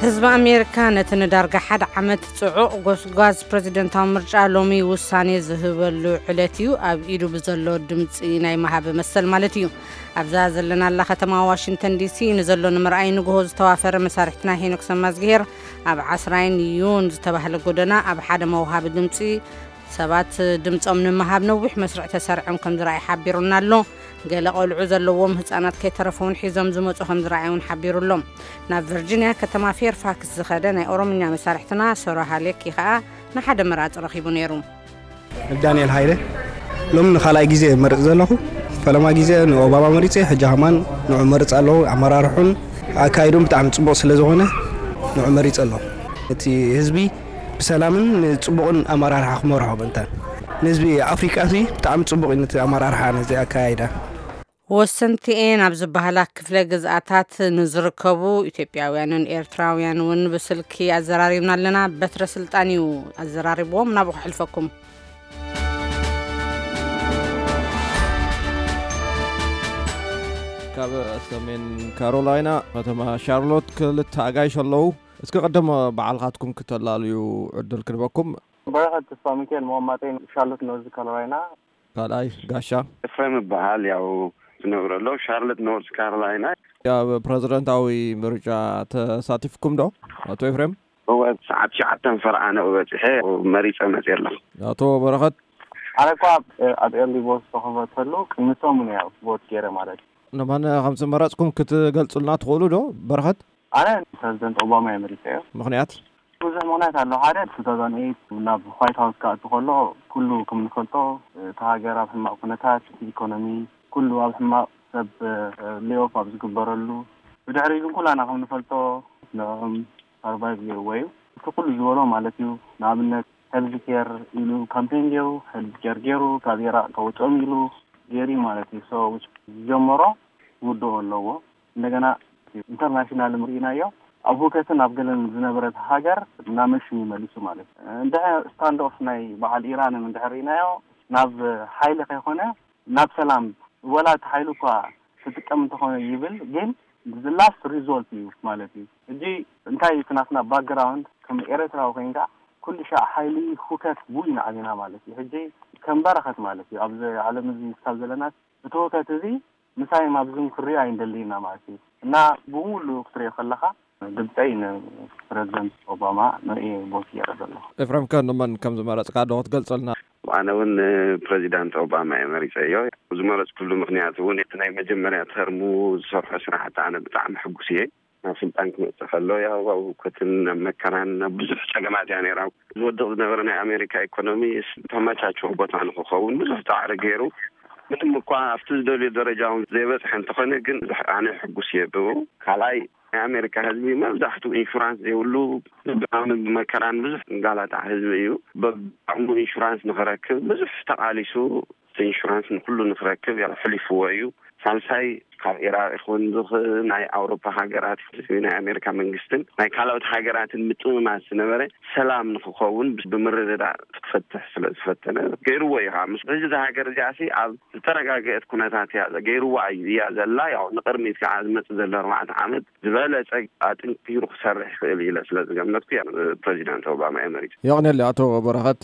ህዝቢ ኣሜሪካ ነቲ ንዳርጋ ሓደ ዓመት ጽዑቕ ጎስጓዝ ፕረዚደንታዊ ምርጫ ሎሚ ውሳኔ ዝህበሉ ዕለት እዩ። ኣብ ኢዱ ብዘሎ ድምጺ ናይ ምሃብ መሰል ማለት እዩ። ኣብዛ ዘለናላ ከተማ ዋሽንግተን ዲሲ ንዘሎ ንምርኣይ ንግሆ ዝተዋፈረ መሳርሕትና ሄኖክ ሰማዝግሄር ኣብ ዓስራይን ዩን ዝተባህለ ጎደና ኣብ ሓደ መውሃቢ ድምጺ ሰባት ድምጾም ንምሃብ ነዊሕ መስርዕ ተሰሪዖም ከም ዝረኣይ ሓቢሩና ኣሎ። ገለ ቆልዑ ዘለዎም ህጻናት ከይተረፈውን ሒዞም ዝመጹ ከም ዝረኣይ እውን ሓቢሩ ኣሎ። ናብ ቨርጂኒያ ከተማ ፌርፋክስ ዝኸደ ናይ ኦሮምኛ መሳርሕትና ሶራ ሃሌኪ ከኣ ንሓደ መራጺ ረኺቡ ነይሩ። ዳንኤል ሃይለ። ሎሚ ንኻልኣይ ግዜ መርጽ ዘለኹ። ፈለማ ግዜ ንኦባማ መሪጸ፣ ሕጂ ከማን ንዑ መርጽ ኣለኹ። ኣመራርሑን ኣካይዱን ብጣዕሚ ጽቡቕ ስለ ዝኾነ ንዑ መሪጸ ኣለኹ። እቲ ህዝቢ ብሰላምን ንጽቡቕን ኣመራርሓ ክመርሖ ምእንታን ንህዝቢ ኣፍሪቃ እዚ ብጣዕሚ ጽቡቕ እዩ፣ ነቲ ኣመራርሓ ነዚ ኣካያይዳ። ወሰንቲኤን ኣብ ዝበሃላ ክፍለ ግዝኣታት ንዝርከቡ ኢትዮጵያውያንን ኤርትራውያን እውን ብስልኪ ኣዘራሪብና ኣለና። በትረ ስልጣን እዩ ኣዘራሪብዎም። ናብኡ ክሕልፈኩም። ካብ ሰሜን ካሮላይና ከተማ ሻርሎት ክልተ ኣጋይሽ ኣለዉ። እስኪ ቀደም ባዕልኻትኩም ክተላልዩ ዕድል ክንበኩም። በረኸት ተስፋ ሚካኤል፣ መቐመጠይ ሻርሎት ኖርዝ ካሮላይና። ካልኣይ ጋሻ። ኤፍሬም እበሃል። ያው ዝነብረሎ ሻርሎት ኖርዝ ካሮላይና። ኣብ ፕረዚደንታዊ ምርጫ ተሳቲፍኩም ዶ ኣቶ ኤፍሬም? እወ፣ ሰዓት ትሽዓተ ፈረቓ ንኡ በጺሐ መሪጸ መጽየ ኣለኹ። ኣቶ በረኸት? ኣነ እኳ ኣብ ኤርሊ ቮት ዝተኸፈተሉ ቅድሚ ሰሙን እያ ቮት ገይረ ማለት እዩ። ንመን ከም ዝመረጽኩም ክትገልጹልና ትኽእሉ ዶ በረኸት? ኣነ ፕረዚደንት ኦባማ እየ መሪጸዮ። ምኽንያት? ብዙሕ ምኽንያት ኣሎ። ሓደ፣ ቱ ታውዘንድ ኤይት ናብ ዋይት ሃውስ ክኣቱ ከሎ ኩሉ ከም ንፈልጦ፣ እታ ሃገር ኣብ ሕማቕ ኩነታት፣ እቲ ኢኮኖሚ ኩሉ ኣብ ሕማቕ፣ ሰብ ሌኦፍ ኣብ ዝግበረሉ፣ ብድሕሪ ግን ኩላና ከም ንፈልጦ ንዕኦም ሰርቫይቭ ገይርዎ እዩ። እቲ ኩሉ ዝበሎ ማለት እዩ። ንኣብነት ሄልዝ ኬር ኢሉ ካምፔን ገይሩ፣ ሄልዝ ኬር ገይሩ፣ ካብ ኢራቅ ከውፅኦም ኢሉ ገይሩ እዩ ማለት እዩ። ሶ ዝጀመሮ ክውድኦ ኣለዎ። እንደገና ኢንተርናሽናል ርኢናዮ፣ ኣብ ሁከትን ኣብ ገለን ዝነበረት ሃገር እናመሹ ይመልሱ ማለት እዩ። እንድሕር ስታንድ ኦፍ ናይ በዓል ኢራን እንድሕር ርኢናዮ፣ ናብ ሓይሊ ከይኮነ ናብ ሰላም፣ ወላ እቲ ሓይሊ እኳ ክጥቀም እንተኾነ ይብል፣ ግን ላስት ሪዞልት እዩ ማለት እዩ። ሕጂ እንታይ እዩ እቲ ናትና ባክግራውንድ? ከም ኤርትራዊ ኮይንካ ኩሉ ሻዕ ሓይሊ ሁከት ብኡ ኢና ዓቢና ማለት እዩ። ሕጂ ከም በረኸት ማለት እዩ ኣብዚ ዓለም እዚ ክሳብ ዘለናስ እቲ ሁከት እዚ ምሳይ ማብዝን ክሪኦ ኣይንደልይና ማለት እዩ። እና ብሙሉ ክትሪኦ ከለኻ ድምፀይ ንፕረዚደንት ኦባማ ንርኢ ቦት ገይረ ዘለኹ። ኤፍሬም፣ ከ ንመን ከም ዝመረፅካ ዶ ክትገልፀልና? ኣነ እውን ንፕረዚዳንት ኦባማ እየ መሪፀዮ። ዝመረፅኩሉ ምኽንያት እውን እቲ ናይ መጀመርያ ተርሙ ዝሰርሖ ስራሕቲ ኣነ ብጣዕሚ ሕጉስ እየ። ናብ ስልጣን ክመፅእ ከሎ ያው ኣብ ህውከትን ኣብ መከራን ኣብ ብዙሕ ፀገማት እያ ነይራ። ዝወድቕ ዝነበረ ናይ ኣሜሪካ ኢኮኖሚ ተመቻችዎ ቦታ ንክኸውን ብዙሕ ፃዕሪ ገይሩ፣ ምንም እኳ ኣብቲ ዝደልዮ ደረጃ እውን ዘይበፅሐ እንተኾነ ግን ብዙሕ ኣነ ሕጉስ እየ ብኡ። ካልኣይ ናይ ኣሜሪካ ህዝቢ መብዛሕትኡ ኢንሹራንስ ዘይብሉ ብድኻምን ብመከራን ብዙሕ እንጋላታዕ ህዝቢ እዩ። በብዓቕሙ ኢንሹራንስ ንኽረክብ ብዙሕ ተቓሊሱ፣ ኢንሹራንስ ንኩሉ ንክረክብ ያው ሕሊፍዎ እዩ። ሳልሳይ ካብ ኢራቅ ይኹን ብክ ናይ ኣውሮፓ ሃገራት ናይ ኣሜሪካ መንግስትን ናይ ካልኦት ሃገራትን ምጥምማት ዝነበረ ሰላም ንክኸውን ብምርድዳእ ክትፈትሕ ስለ ዝፈተነ ገይርዎ እዩ። ምስ ሕዚ እዛ ሃገር እዚኣ ሲ ኣብ ዝተረጋገአት ኩነታት እያ ገይርዋ እዩ እያ ዘላ። ያው ንቅድሚት ከዓ ዝመፅእ ዘሎ ኣርባዕተ ዓመት ዝበለፀ ኣጥንኪሩ ክሰርሕ ይኽእል ኢለ ስለ ዝገመትኩ እያ ፕረዚዳንት ኦባማ እየ መሪፀ። የቕንየለይ ኣቶ በረኸት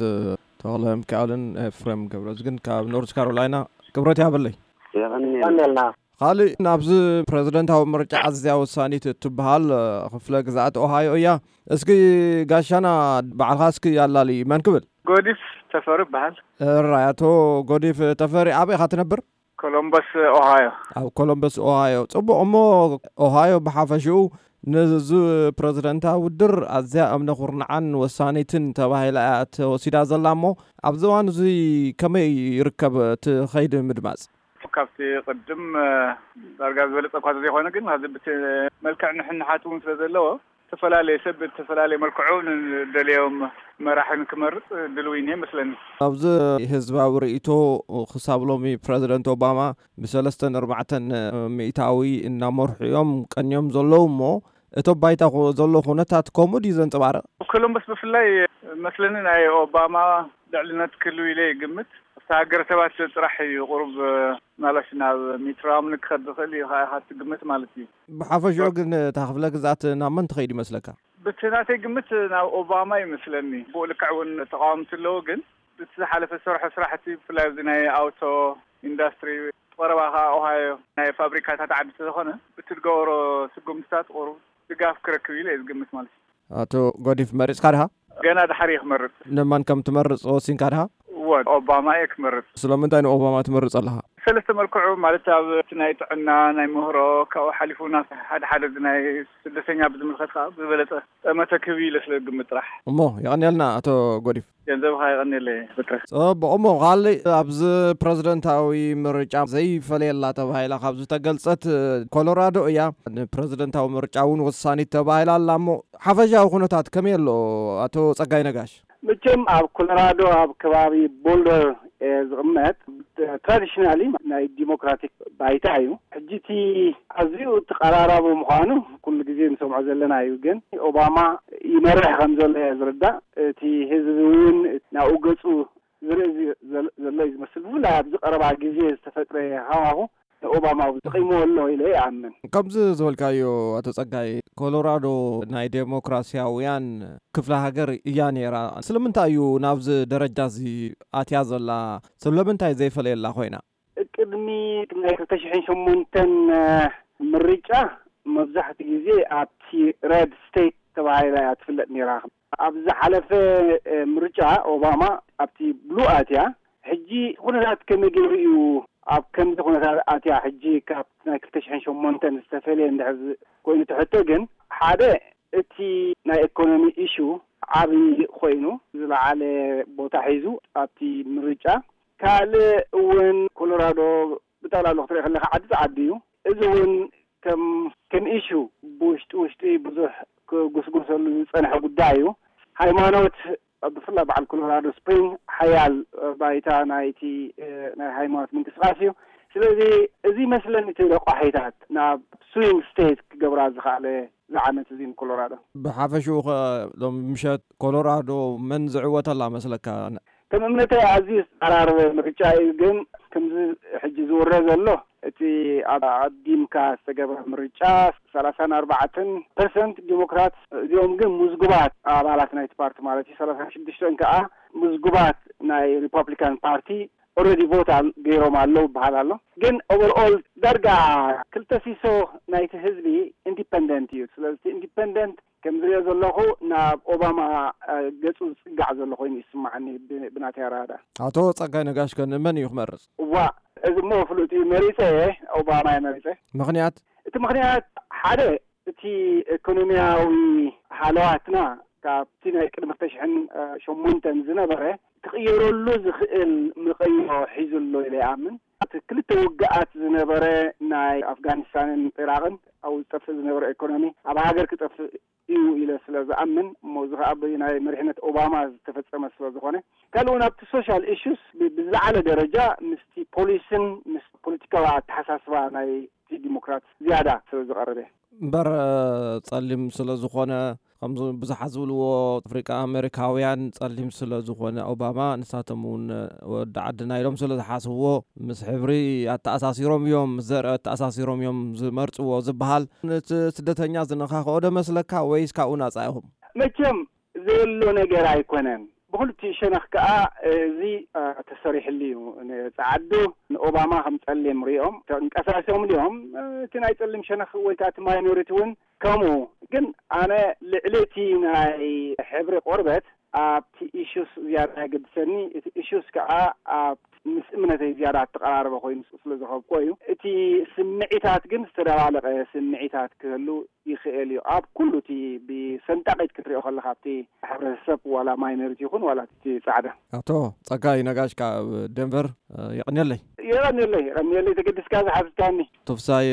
ተኽለ ሚካኤልን ኤፍሬም ገብረዝግን ካብ ኖርዝ ካሮላይና ክብረት ያበለይ። የቐንየልና። ካልእ ናብዚ ፕረዚደንታዊ ምርጫ ኣዝያ ወሳኒት እትበሃል ክፍለ ግዝኣት ኦሃዮ እያ። እስኪ ጋሻና ባዕልኻ እስኪ ኣላሊ መን ክብል? ጎዲፍ ተፈሪ ይበሃል። እራይ ኣቶ ጎዲፍ ተፈሪ ኣበይ ኢኻ ትነብር? ኮሎምበስ ኦሃዮ። ኣብ ኮሎምበስ ኦሃዮ። ጽቡቕ። እሞ ኦሃዮ ብሓፈሽኡ ነዚ ፕረዚደንታዊ ውድድር ኣዝያ እምነ ኩርናዓን ወሳኒትን ተባሂላ እያ ተወሲዳ ዘላ። እሞ ኣብዚ እዋን እዚ ከመይ ይርከብ እቲ ኸይዲ ምድማጽ? ካብቲ ቅድም ዳርጋ ዝበለጸ እኳ ዘይኮነ ግን ካብዚ ብቲ መልክዕ ንሕንሓት እውን ስለ ዘለዎ ዝተፈላለየ ሰብ ብዝተፈላለየ መልክዑ ንደልዮም መራሒ ንክመርጽ ድልዊ እኒሀ ይመስለኒ። ኣብዚ ህዝባዊ ርእይቶ ክሳብ ሎሚ ፕረዚደንት ኦባማ ብሰለስተን ኣርባዕተን ሚእታዊ እናመርሑ እዮም ቀንዮም ዘለዉ እሞ እቶ ባይታ ኩ- ዘሎ ኩነታት ከምኡ ድዩ ዘንጸባርቕ? ኮሎምበስ ብፍላይ መስለኒ ናይ ኦባማ ልዕልነት ክህልው ኢለ ይግምት። ኣብቲ ሃገረሰባት ጥራሕ እዩ ቁሩብ ምናልባሽ ናብ ሚት ራምኒ ክኸድ ዝኽእል እዩ ከኣ ኢኻ ትግምት ማለት እዩ። ብሓፈሽኡ ግን እታ ክፍለ ግዝኣት ናብ መን ትኸይድ ይመስለካ? ብቲ ናተይ ግምት ናብ ኦባማ ይመስለኒ። ብኡ ልክዕ እውን ተቃወምቲ ኣለዉ፣ ግን ብቲ ዝሓለፈ ዝሰርሖ ስራሕቲ፣ ብፍላይ ኣብዚ ናይ ኣውቶ ኢንዳስትሪ፣ ቀረባ ከዓ ኦሃዮ ናይ ፋብሪካታት ዓዲ ስለዝኾነ፣ ብቲ ዝገበሮ ስጉምትታት ቁሩብ ድጋፍ ክረክብ ኢለ እየ ዝግምት ማለት እዩ። ኣቶ ጎዲፍ፣ መሪጽካ ድኻ? ገና ድሓር እየ ክመርጽ። ንመን ከም ትመርጽ ወሲንካ ድኻ? እወ፣ ኦባማ እየ ክመርጽ። ስለምንታይ ንኦባማ ትመርጽ ኣለኻ? ሰለስተ መልክዑ፣ ማለት ኣብ እቲ ናይ ጥዕና፣ ናይ ምህሮ፣ ካብኡ ሓሊፉ ናብ ሓደ ሓደ እዚ ናይ ስደተኛ ብዝምልከት ከዓ ዝበለጸ ጠመተ ክህብ ኢለ ስለ ዝግምት ጥራሕ። እሞ የቐንየልና ኣቶ ጎዲፍ። ገንዘብኻ የቐንየለይ ብትረ። ጽቡቕ። እሞ ካልእ ኣብዚ ፕረዚደንታዊ ምርጫ ዘይፈለየላ ተባሂላ ካብ ዝተገልጸት ኮሎራዶ እያ። ንፕረዚደንታዊ ምርጫ እውን ወሳኒት ተባሂላ ኣላ። እሞ ሓፈሻዊ ኩነታት ከመይ ኣሎ ኣቶ ጸጋይ ነጋሽ? መቸም ኣብ ኮሎራዶ ኣብ ከባቢ ቦልደር እየ ዝቕመጥ። ትራዲሽናሊ ናይ ዲሞክራቲክ ባይታ እዩ። ሕጂ እቲ ኣዝዩ ተቐራራቢ ምዃኑ ኩሉ ግዜ ንሰምዖ ዘለና እዩ። ግን ኦባማ ይመርሕ ከም ዘሎ እየ ዝርዳእ። እቲ ህዝቢ እውን ናብኡ ገጹ ዝርኢ ዝ-፣ ዘል-፣ ዘሎ እዩ ዝመስል። ብፍላይ ኣብዚ ቀረባ ግዜ ዝተፈጥረ ሃዋሁ ንኦባማ እውን ተጠቂምዎ ኣሎ ኢለ ይኣምን። ከምዚ ዝበልካዮ ኣቶ ጸጋይ፣ ኮሎራዶ ናይ ዴሞክራሲያውያን ክፍለ ሃገር እያ ነይራ። ስለምንታይ እዩ ናብዚ ደረጃ እዚ ኣትያ ዘላ? ስለምንታይ ዘይፈለየላ ኮይና? ቅድሚ ናይ ክልተ ሽሕን ሸሞንተን ምርጫ መብዛሕትኡ ግዜ ኣብቲ ሬድ ስቴት ተባሂላ እያ ትፍለጥ ነይራ። ኣብ ዝሓለፈ ምርጫ ኦባማ ኣብቲ ብሉ ኣትያ። ሕጂ ኩነታት ከመይ ገይሩ እዩ ኣብ ከምዚ ኩነታት ኣትያ? ሕጂ ካብ ናይ ክልተ ሽሕን ሸሞንተን ዝተፈለየ እንድሕር ዝ-፣ ኮይኑ ትሕቶ ግን፣ ሓደ እቲ ናይ ኢኮኖሚ ኢሹ ዓቢ ኮይኑ ዝለዓለ ቦታ ሒዙ ኣብቲ ምርጫ። ካልእ እውን ኮሎራዶ ብጠቕላላ ክትሪኦ ከለካ ዓዲ ጸዓዲ እዩ። እዚ እውን ከም፣ ከም ኢሹ ብውሽጢ ውሽጢ ብዙሕ ክጉስጎሰሉ ዝጸንሐ ጉዳይ እዩ። ሃይማኖት ብፍላይ በዓል ኮሎራዶ ስፕሪንግ ሓያል ባይታ ናይቲ፣ እ፣ ናይ ሃይማኖት ምንቅስቃስ እዩ። ስለዚ እዚ ይመስለኒ እቲ ረቋሒታት ናብ ስዊንግ ስቴት ክገብራ ዝኸኣለ ዝዓመት እዚ ንኮሎራዶ። ብሓፈሽኡ ኸ ሎም ምሸት ኮሎራዶ መን ዝዕወተላ መስለካ? ከም እምነተይ ኣዝዩ ዝተቐራረበ ምርጫ እዩ፣ ግን ከምዚ ሕጂ ዝውረ ዘሎ እቲ ኣብ ኣዲምካ ዝተገብረ ምርጫ ሰላሳን ኣርባዕተን ፐርሰንት ዲሞክራት፣ እዚኦም ግን ምዝጉባት ኣባላት ናይቲ ፓርቲ ማለት እዩ። ሰላሳን ሽዱሽተን ከዓ ምዝጉባት ናይ ሪፐብሊካን ፓርቲ ኦልሬዲ ቮት ኣል-፣ ገይሮም ኣለዉ ይበሃል ኣሎ። ግን ኦቨርኦል ዳርጋ ክልተ ሲሶ ናይቲ ህዝቢ ኢንዲፐንደንት እዩ። ስለዚ ኢንዲፐንደንት ከም ዝሪኦ ዘለኹ ናብ ኦባማ፣ እ፣ ገጹ ዝጽጋዕ ዘሎ ኮይኑ ይስማዓኒ ብ-፣ ብናተይ ኣረዳድኣ። ኣቶ ጸጋይ ነጋሽ ከ ንመን እዩ ክመርጽ? እዋ፣ እዚ እሞ ፍሉጥ እዩ። መሪጸ እየ፣ ኦባማ እየ መሪጸ። ምኽንያት? እቲ ምኽንያት ሓደ እቲ ኢኮኖሚያዊ ሃለዋትና ካብቲ ናይ ቅድሚ ክልተ ሽሕን ሸሞንተን ዝነበረ ክቕየረሉ ዝኽእል መቐይሮ ሒዙ ኣሎ ኢለ ይኣምን። እቲ ክልተ ውግኣት ዝነበረ ናይ ኣፍጋኒስታንን ኢራቕን ኣብኡ ዝጠፍእ ዝነበረ ኢኮኖሚ ኣብ ሃገር ክጠፍእ እዩ ኢለ ስለ ዝኣምን፣ እሞ እዚ ኸኣ ብናይ መሪሕነት ኦባማ ዝተፈጸመ ስለ ዝኾነ፣ ካልእ እውን ኣብቲ ሶሻል ኢሹስ ብ-፣ ብዝለዓለ ደረጃ ምስቲ ፖሊስን ምስ ፖለቲካዊ ኣተሓሳስባ ናይ ዲሞክራት ዝያዳ ስለ ዝቐርብ እየ። እምበር፣ ጸሊም ስለ ዝኾነ፣ ከምዚ ብዙሓት ዝብልዎ፣ ኣፍሪቃ ኣሜሪካውያን ጸሊም ስለ ዝኾነ ኦባማ፣ ንሳቶም እውን ወዲ ዓድና ኢሎም ስለ ዝሓስብዎ፣ ምስ ሕብሪ ኣተኣሳሲሮም እዮም፣ ምስ ዘርኢ ኣተኣሳሲሮም እዮም ዝመርጽዎ ዝበሃል። ነቲ ስደተኛ ዝነኻኽኦ ዶ መስለካ ወይስ ካብኡ ናጻ ኢኹም? መቸም ዘሎ ነገር ኣይኮነን። ብኽልቲኡ ሸነኽ ከኣ እዚ፣ እ፣ ተሰሪሕሉ እዩ። ንጸዓዱ ንኦባማ ከም ጸሊም ሪኦም ተንቀሳሲሶም ድዮም? እ፣ እቲ ናይ ጸሊም ሸነኽ ወይ ከኣ እቲ ማይኖሪቲ እውን ከምኡ። ግን ኣነ ልዕሊ እቲ ናይ ሕብሪ ቆርበት ኣብቲ ኢሹስ ዝያዳ የገድሰኒ። እቲ ኢሹስ ከኣ ኣብ ምስ እምነተይ ዝያዳ እተቐራረበ ኮይኑ ስለ ዝረኸብኩዎ እዩ። እቲ ስምዒታት ግን ዝተደባለቐ ስምዒታት ክህሉ ይኽእል እዩ። ኣብ ኩሉ እቲ ብሰንጣቒት ክትሪኦ ከለኻ፣ ኣብቲ ሕብረተሰብ ዋላ ማይኖሪቲ ይኹን ዋላ እቲ ጻዕዳ። ኣቶ ጸጋይ ነጋሽ ካብ ደንቨር፣ እ፣ የቐንየለይ። የቐንየለይ፣ የቐንየለይ ተገዲስካ ዝሓትትካኒ። ቶፍሳይ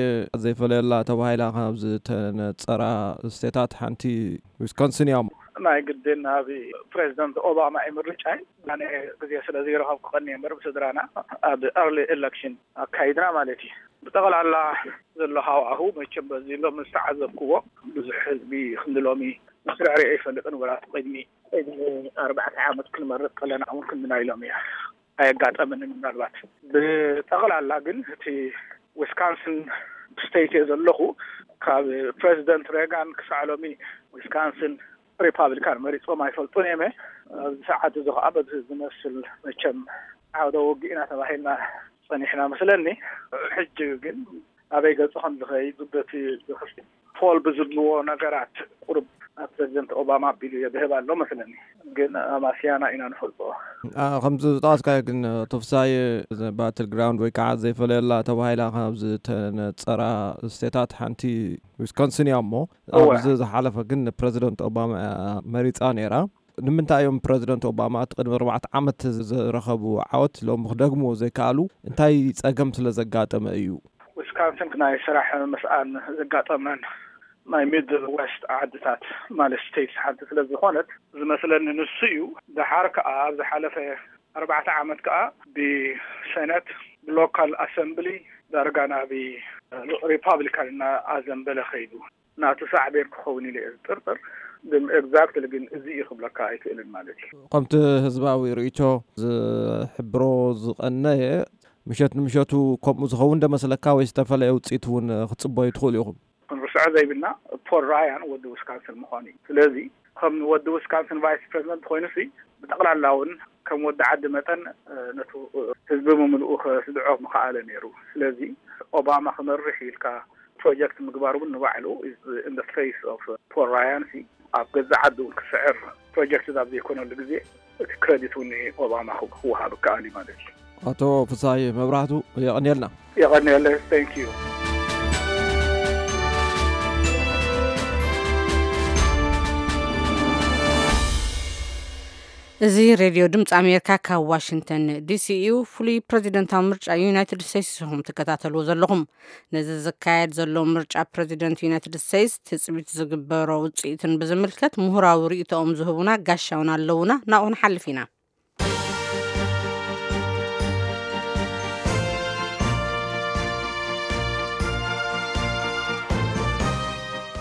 ዘይፈለየላ ተባሂላ ካብ ዝተነጸራ ስቴታት ሓንቲ ዊስኮንሲን እያ። ናይ ግድን ኣብ ፕሬዚደንት ኦባማ እዩ ምርጫይ። ኣነ ግዜ ስለ ዘይረኸብኩ ቀንየ እምበር ብስድራና ኣብ ኤርሊ ኤለክሽን ኣካይድና ማለት እዩ። ብጠቕላላ ዘሎ ሃዋሁ መቸም በዚ ሎሚ ዝተዓዘብክዎ ብዙሕ ህዝቢ ክንዲ ሎሚ መስርዕ ሪኦ ኣይፈልጥን። ወላ እቲ ቅድሚ፣ ቅድሚ ኣርባዕተ ዓመት ክንመርጥ ከለና እውን ክንዲ ናይ ሎሚ እያ ኣየጋጠመንን። ምናልባት ብጠቕላላ ግን እቲ ዊስካንስን ስቴት እየ ዘለኹ። ካብ ፕሬዚደንት ሬጋን ክሳዕ ሎሚ ዊስካንስን ሪፓብሊካን መሪጾም ኣይፈልጡን እዮም። ኣብዚ ሰዓት እዚ ከዓ በዚ ዝመስል መቸም ዓውደ ውግእ ኢና ተባሂልና ጸኒሕና መስለኒ። ሕጂ ግን ኣበይ ገጹ ከም ዝኸይድ በቲ ፖል ብዝብልዎ ነገራት ቁሩብ ኣብ ፕሬዚደንት ኦባማ ኣቢሉ የድህብ ኣሎ መስለኒ። ግን ኣማስያና ኢና ንፈልጦ። ከምዚ ዝጠቐስካዮ ግን፣ ቶፍሳይ ባትል ግራውንድ ወይ ከዓ ዘይፈለየላ ተባሂላ ካብ ዝተነፀራ ስቴታት ሓንቲ ዊስኮንሲን እያ። እሞ እወ። ኣብዚ ዝሓለፈ ግን ንፕረዚደንት ኦባማ እያ መሪፃ ነይራ። ንምንታይ እዮም ፕረዚደንት ኦባማ እቲ ቅድሚ ኣርባዕተ ዓመት ዝረኸቡ ዓወት ሎሚ ክደግምዎ ዘይከኣሉ? እንታይ ፀገም ስለ ዘጋጠመ እዩ? ዊስካንስን ናይ ስራሕ ምስኣን ዘጋጠመን ናይ ሚድል ዌስት ዓድታት ማለት ስቴትስ ሓንቲ ስለ ዝኾነት ዝመስለኒ ንሱ እዩ። ደሓር ከዓ ኣብ ዝሓለፈ ኣርባዕተ ዓመት ከዓ ብሰነት ብሎካል ኣሰምብሊ ዳርጋ ናብ ሪፓብሊካን እናኣዘንበለ ከይዱ ናቱ ሳዕቤን ክኸውን ኢለ እየ ዝጥርጥር። ግን ኤግዛክትሊ ግን እዚ እዩ ክብለካ ኣይክእልን ማለት እዩ። ከምቲ ህዝባዊ ርእይቶ ዝሕብሮ ዝቐነየ ምሸት ንምሸቱ ከምኡ ዝኸውን ዶ መስለካ ወይስ ዝተፈለየ ውፅኢት እውን ክትፅበዩ ትኽእሉ ኢኹም? ክንርስዖ ዘይብልና ፖል ራያን ወዲ ዊስካንስን ምዃኑ እዩ። ስለዚ ከም ወዲ ዊስካንስን ቫይስ ፕሬዚደንት ኮይኑ ሲ ብጠቕላላ እውን ከም ወዲ ዓዲ መጠን ነቱ ህዝቢ ብምልኡ ከስድዖ ምኸኣለ ነይሩ። ስለዚ ኦባማ ክመርሕ ኢልካ ፕሮጀክት ምግባር እውን ንባዕሉ ኢን ፌስ ኦፍ ፖል ራያን ሲ ኣብ ገዛ ዓዲ እውን ክስዕር ፕሮጀክት ኣብ ዘይኮነሉ ግዜ እቲ ክረዲት እውን ንኦባማ ክወሃብ ከኣል እዩ ማለት እዩ። ኣቶ ፍሳይ መብራህቱ የቐንየልና። የቐንየለ። Thank you። እዚ ሬድዮ ድምፂ ኣሜሪካ ካብ ዋሽንግተን ዲሲ እዩ። ፍሉይ ፕሬዚደንታዊ ምርጫ ዩናይትድ ስቴትስ ኢኹም ትከታተልዎ ዘለኹም። ነዚ ዝካየድ ዘሎ ምርጫ ፕሬዚደንት ዩናይትድ ስቴትስ ትፅቢት ዝግበሮ ውፅኢትን ብዝምልከት ምሁራዊ ርእይቶኦም ዝህቡና ጋሻውን ኣለውና። ናብኡ ክንሓልፍ ኢና።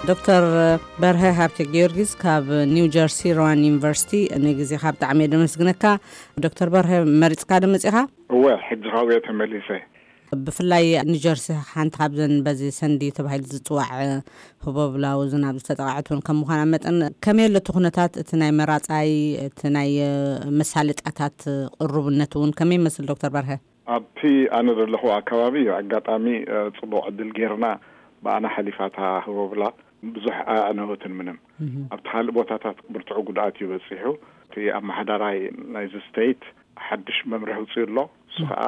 ዶክተር በርሀ ሃብተ ጊዮርጊስ ካብ ኒው ጀርሲ ሮዋን ዩኒቨርሲቲ፣ ንግዜኻ ብጣዕሚ እየ ደመስግነካ። ዶክተር በርሀ፣ መሪፅካ ዶ መፂኻ? እወ፣ ሕጂ ካብኡ እየ ተመሊሰ። ብፍላይ ኒጀርሲ ሓንቲ ካብዘን በዚ ሰንዲ ተባሂሉ ዝፅዋዕ ህቦብላዊ ዝናብ ዝተጠቕዐት እውን ከም ምዃና መጠን፣ ከመይ ኣሎ እቲ ኩነታት፣ እቲ ናይ መራፃይ፣ እቲ ናይ መሳለጥያታት ቅሩብነት እውን ከመይ ይመስል ዶክተር በርሀ? ኣብቲ ኣነ ዘለኹ ኣካባቢ ኣጋጣሚ፣ እ፣ ፅቡቕ ዕድል ጌርና ብኣና ሓሊፋ እታ ህቦብላ ብዙሕ ኣዕነወትን ምንም። ኣብቲ ካልእ ቦታታት ብርቱዕ ጉድኣት እዩ በፂሑ። እቲ ኣመሓዳራይ ናይዚ ስቴት ሓድሽ መምርሒ ኣውፂኡ ኣሎ። እሱ ከዓ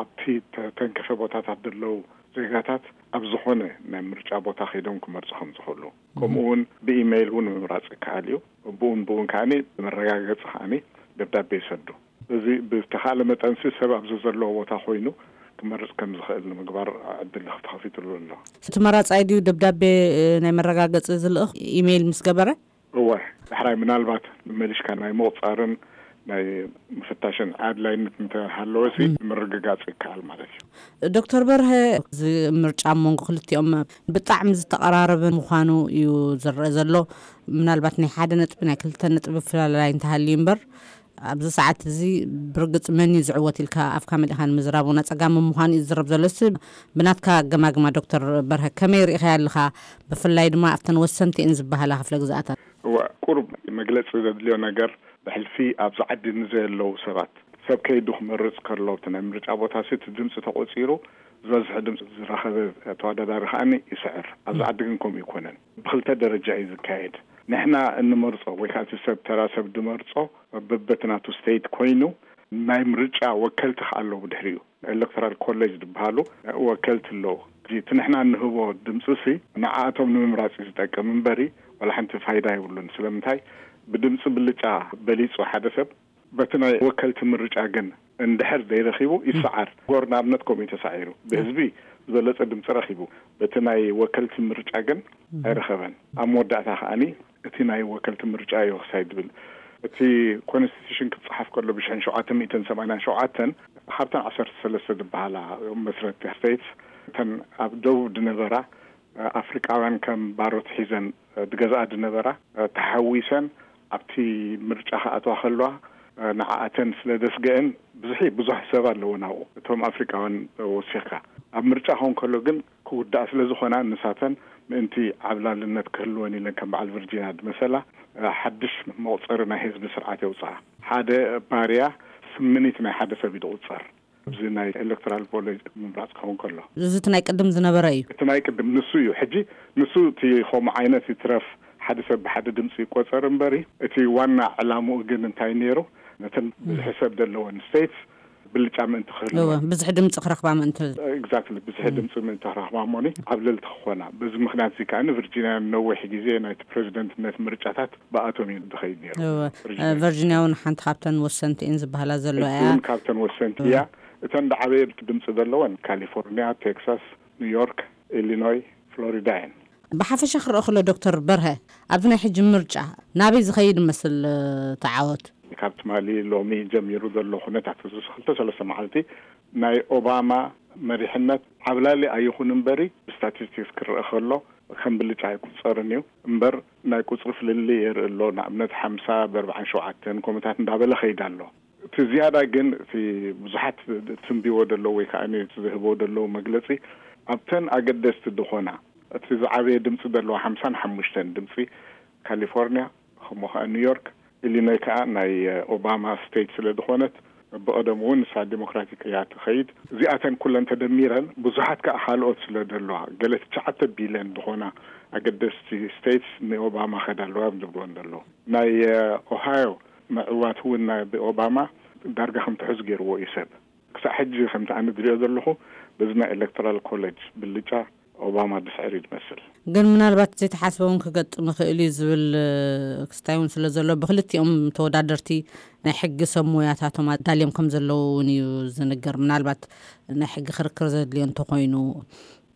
ኣብቲ ተተንከፈ ቦታታት ዘለዉ ዜጋታት ኣብ ዝኾነ ናይ ምርጫ ቦታ ከይዶም ክመርፁ ከም ዝኽእሉ፣ ከምኡ እውን ብኢሜይል እውን ምምራፅ ይከኣል እዩ። ብኡን ብኡን ከዓኒ መረጋገፂ ከዓኒ ደብዳቤ ይሰዱ። እዚ ብዝተኻለ መጠንሲ ሰብ ኣብ ዘዘለዎ ቦታ ኮይኑ ክመርፅ ከም ዝኽእል ንምግባር ዕድል ተኸፊትሉ ኣሎ። እቲ መራፃይ ድዩ ደብዳቤ፣ እ፣ ናይ መረጋገፂ ዝልእኽ ኢሜይል ምስ ገበረ? እወ፣ ዳሕራይ ምናልባት መመሊሽካ ናይ ምቑፃርን ናይ ምፍታሽን ኣድላይነት እንተሃለወ ሲ ምርግጋፅ ይከኣል ማለት እዩ። ዶክተር በርሀ፣ እዚ ምርጫ ኣብ መንጎ ክልቲኦም ብጣዕሚ ዝተቐራረበ ምዃኑ እዩ ዝረአ ዘሎ። ምናልባት ናይ ሓደ ነጥቢ፣ ናይ ክልተ ነጥቢ ፍላላይ እንተሃልዩ እምበር፣ ኣብዚ ሰዓት እዚ ብርግፅ መን እዩ ዝዕወት ኢልካ ኣፍካ መሊእካ ንምዝራብ እውን ኣፀጋሚ ምዃኑ እዩ ዝዝረብ ዘሎ። ሲ ብናትካ ኣገማግማ ዶክተር በርሀ ከመይ ርኢኻዮ ኣለኻ? ብፍላይ ድማ ኣብተን ወሰንቲ እየን ዝበሃላ ክፍለ ግዝኣታት። እዋ፣ ቁሩብ መግለፂ ዘድልዮ ነገር፣ ብሕልፊ ኣብዚ ዓዲ ንዘየለዉ ሰባት፣ ሰብ ከይዱ ክመርፅ ከሎ፣ እቲ ናይ ምርጫ ቦታ ሲ እቲ ድምፂ ተቆፂሩ፣ ዝበዝሐ ድምፂ ዝረኸበ ተወዳዳሪ ከዓኒ ይስዕር። ኣብዚ ዓዲ ግን ከምኡ ይኮነን። ብክልተ ደረጃ እዩ ዝካየድ። ንሕና እንመርፆ ወይ ከዓ እቲ ሰብ፣ ተራ ሰብ ድመርፆ፣ በበቲ ናቱ ስቴት ኮይኑ፣ ናይ ምርጫ ወከልቲ ከዓ ኣለዉ ብድሕሪኡ። ኤሌክቶራል ኮሌጅ ዝበሃሉ ወከልቲ ኣለዉ። እዚ እቲ ንሕና እንህቦ ድምፂ ሲ ንዓኣቶም ንምምራፅ እዩ ዝጠቅም እምበሪ ዋላ ሓንቲ ፋይዳ የብሉን። ስለምንታይ? ብድምፂ ብልጫ በሊፁ ሓደ ሰብ በቲ ናይ ወከልቲ ምርጫ ግን እንድሕር ዘይረኺቡ ይሰዓር። ጎር ንኣብነት ከምኡ እዩ ተሳዒሩ። ብህዝቢ ዝበለፀ ድምፂ ረኺቡ፣ በቲ ናይ ወከልቲ ምርጫ ግን ኣይረኸበን። ኣብ መወዳእታ ከዓኒ እቲ ናይ ወከልቲ ምርጫ እዩ ክሳይ ድብል። እቲ ኮንስቲቱሽን ክፀሓፍ ከሎ ብሽሕን ሸውዓተ ሚእትን ሰማንያን ሸውዓተን ካብተን ዓሰርተ ሰለስተ ዝበሃላ መስረቲ ስቴትስ፣ እተን ኣብ ደቡብ ድነበራ ኣፍሪቃውያን ከም ባሮት ሒዘን ድገዝኣ ድነበራ ተሓዊሰን ኣብቲ ምርጫ ክኣትዋ ከለዋ ንዓኣተን ስለ ደስገአን ብዙሕ ብዙሕ ሰብ ኣለዎ ናብኡ፣ እቶም ኣፍሪቃውያን ወሲኽካ። ኣብ ምርጫ ክኸውን ከሎ ግን ክውዳእ ስለ ዝኾና፣ ንሳተን ምእንቲ ዓብላልነት ክህልወን ኢለን፣ ከም በዓል ቪርጂንያ ዝመሰላ፣ ሓድሽ መቑጸሪ ናይ ህዝቢ ስርዓት የውፅኣ። ሓደ ባርያ ስምኒት ናይ ሓደ ሰብ እዩ ዝቑጸር። ኣብዚ ናይ ኤሌክቶራል ኮሌጅ ምምራፅ ክኸውን ከሎ፣ እዚ እቲ ናይ ቅድም ዝነበረ እዩ። እቲ ናይ ቅድም ንሱ እዩ። ሕጂ ንሱ እቲ ከምኡ ዓይነት ይትረፍ፣ ሓደ ሰብ ብሓደ ድምፂ ይቆፀር እምበሪ፣ እቲ ዋና ዕላምኡ ግን እንታይ ነይሩ? ነተን ብዝሒ ሰብ ዘለወን ስቴትስ ብልጫ ምእንቲ ክህልወን። እወ፣ ብዝሒ ድምፂ ክረኽባ ምእንቲ። ኤግዛክትሊ፣ ብዝሒ ድምፂ ምእንቲ ክረኽባ እሞኒ ዓብለልቲ ክኾና። በዚ ምኽንያት እዚ ከኣ ቪርጂንያ ነዊሕ ግዜ ናይቲ ፕሬዚደንትነት ምርጫታት ብኣቶም እዩ ዝኸይድ ነይሩ። እወ፣ ቪርጂንያ። እ፣ ቨርጂንያ እውን ሓንቲ ካብተን ወሰንቲ እየን ዝበሃላ ዘለዋ እያ። እውን ካብተን ወሰንቲ እያ። እተን ዝዓበየ ድምፂ ዘለወን ካሊፎርኒያ፣ ቴክሳስ፣ ኒውዮርክ፣ ኢሊኖይ፣ ፍሎሪዳ እየን። ብሓፈሻ ክረኦ ከሎ ዶክተር በርሀ፣ ኣብዚ ናይ ሕጂ ምርጫ ናበይ ዝኸይድ መስል፣ እ፣ ተዓወት? ካብ ትማሊ ሎሚ ጀሚሩ ዘሎ ኩነታት፣ እዚ ክልተ ሰለስተ መዓልቲ ናይ ኦባማ መሪሕነት ዓብላሊ ኣይኹን እምበሪ፣ ብስታቲስቲክስ ክረአ ከሎ ከም ብልጫ ኣይቁፀርን እዩ እምበር፣ ናይ ቁፅሪ ፍልልይ የርኢ ኣሎ። ንኣብነት ሓምሳ ብኣርባዓን ሸውዓተን ከምኡታት እንዳበለ ከይድ ኣሎ። እቲ ዝያዳ ግን እቲ ብዙሓት ትንብይዎ ዘለዉ ወይ ከዓ እቲ ዝህብዎ ዘለዉ መግለፂ፣ ኣብተን ኣገደስቲ ዝኾና፣ እቲ ዝዓበየ ድምፂ ዘለዋ ሓምሳን ሓሙሽተን ድምፂ ካሊፎርኒያ፣ ከምኡ ከዓ ኒውዮርክ፣ ኢሊኖይ ከዓ ናይ ኦባማ ስቴት ስለ ዝኾነት፣ ብቐደሙ እውን ንሳ ዲሞክራቲክ እያ ትኸይድ። እዚኣተን ኩለን ተደሚረን ብዙሓት ከዓ ካልኦት ስለ ዘለዋ፣ ገለ ትሽዓተ ቢልዮን ዝኾና ኣገደስቲ ስቴትስ ንኦባማ ኸዳ ኣለዋ እዮም ዝብልወን ዘለዉ። ናይ ኦሃዮ ምዕዋት እውን ናይ ብኦባማ ዳርጋ ከም ትሑዝ ገይርዎ እዩ ሰብ። ክሳዕ ሕጂ ከምቲ ኣነ ዝሪኦ ዘለኹ፣ በዚ ናይ ኤሌክቶራል ኮሌጅ ብልጫ ኦባማ ድስዕር እዩ ዝመስል። ግን ምናልባት ዘይተሓስበ እውን ክገጥም ይኽእል እዩ ዝብል፣ እ፣ ክስታይ እውን ስለ ዘሎ፣ ብክልቲኦም ተወዳደርቲ ናይ ሕጊ ሰብ ሞያታቶም ኣዳልዮም ከም ዘለዉ እውን እዩ ዝንገር። ምናልባት ናይ ሕጊ ክርክር ዘድልዮ እንተኾይኑ፣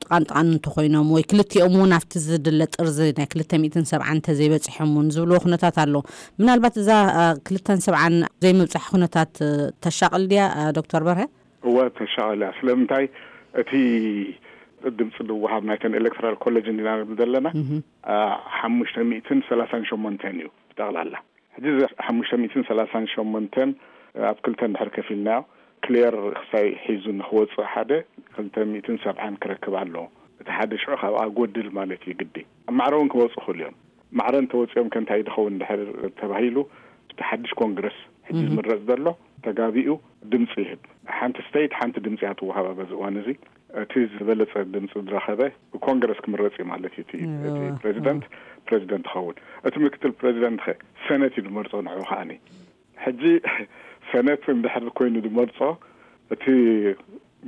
ጥቓን ጥቓን እንተኾይኖም፣ ወይ ክልቲኦም እውን ኣብቲ ዝድለ ጥርዚ ናይ ክልተ ሚእትን ሰብዓን እንተዘይበፂሖም እውን ዝብልዎ ኩነታት ኣሎ። ምናልባት እዛ፣ እ፣ ክልተን ሰብዓን ዘይምብፃሕ ኩነታት፣ እ፣ ተሻቕል ድያ፣ እ፣ ዶክተር በርሀ? እወ፣ ተሻቐል እያ። ስለምንታይ? እቲ ድምፂ ዝወሃብ ናይተን ኤሌክቶራል ኮሌጅ እንዲና ንብል ዘለና፣ እህ። አ፣ ሓሙሽተ ሚእትን ሰላሳን ሸሞንተን እዩ ብጠቕላላ። ሕጂ እዚ ሓሙሽተ ሚእትን ሰላሳን ሸሞንተን ኣብ ክልተ እንድሕር ከፊልናዮ፣ ክሊየር ክሳይ ሒዙ ንክወፅእ ሓደ፣ ክልተ ሚእትን ሰብዓን ክረክብ ኣለዎ። እቲ ሓደ ሽዑ ካብኣ ጎድል ማለት እዩ ግዲ። ኣብ ማዕረ እውን ክወፁ ይኽእሉ እዮም። ማዕረ እንተወፂኦም ከ እንታይ ዝኸውን እንድሕር ተባሂሉ፣ እቲ ሓድሽ ኮንግረስ ሕጂ እህ። ዝምረፅ ዘሎ ተጋቢኡ ድምፂ ይህብ። ሓንቲ ስቴት ሓንቲ ድምፂ እያ ትወሃባ በዚ እዋን እዚ። እቲ ዝበለፀ ድምፂ ዝረኸበ ብኮንግረስ ክምረፅ እዩ ማለት እዩ። እቲ፣ እዎ። እቲ ፕሬዚደንት፣ ፕሬዚደንት ይኸውን። እቲ ምክትል ፕሬዚደንት ኸ ሰነት እዩ ዝመርፆ ንዑ ከዓኒ። ሕጂ ሰነት እንድሕር ኮይኑ ዝመርፆ፣ እቲ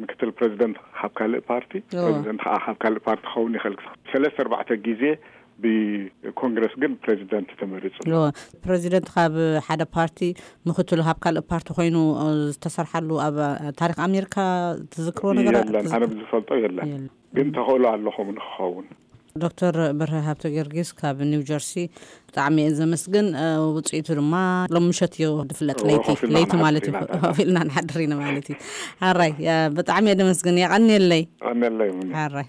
ምክትል ፕሬዚደንት ካብ ካልእ ፓርቲ፣ እዎ። ፕሬዚደንት ከዓ ካብ ካልእ ፓርቲ ክኸውን ይኽእል። ሰለስተ ኣርባዕተ ግዜ ብኮንግረስ ግን ፕሬዚደንት ተመሪፁ። እዎ። ፕሬዚደንት ካብ ሓደ ፓርቲ፣ ምክትሉ ካብ ካልእ ፓርቲ ኮይኑ፣ እ፣ ዝተሰርሓሉ ኣብ ታሪኽ ኣሜሪካ ትዝክርዎ ነገር የለን። ትዝ-፣ ኣነ ብዝፈልጦ የለን። የለን። ግን ተኽእሎ ኣሎ ከምኡ ንክኸውን። ዶክተር በርሀ ሃብተ ጊዮርጊስ ካብ ኒው ጀርሲ፣ ብጣዕሚ እየ ዘመስግን። እ፣ ውፅኢቱ ድማ ሎም ምሸት እዩ ዝፍለጥ፣ እዎ፣ ለይቲ፣ ኮፍ ኢልና ለይቲ ክንሓድር ማለት እዩ። ኢና። ኮፍ ኢልና ንሓድር ኢና ማለት እዩ። ኣራይ፣ እ፣ ብጣዕሚ እየ ዘመስግን። የቐንየለይ። የቐንየለይ፣ ሙኒ። ኣራይ።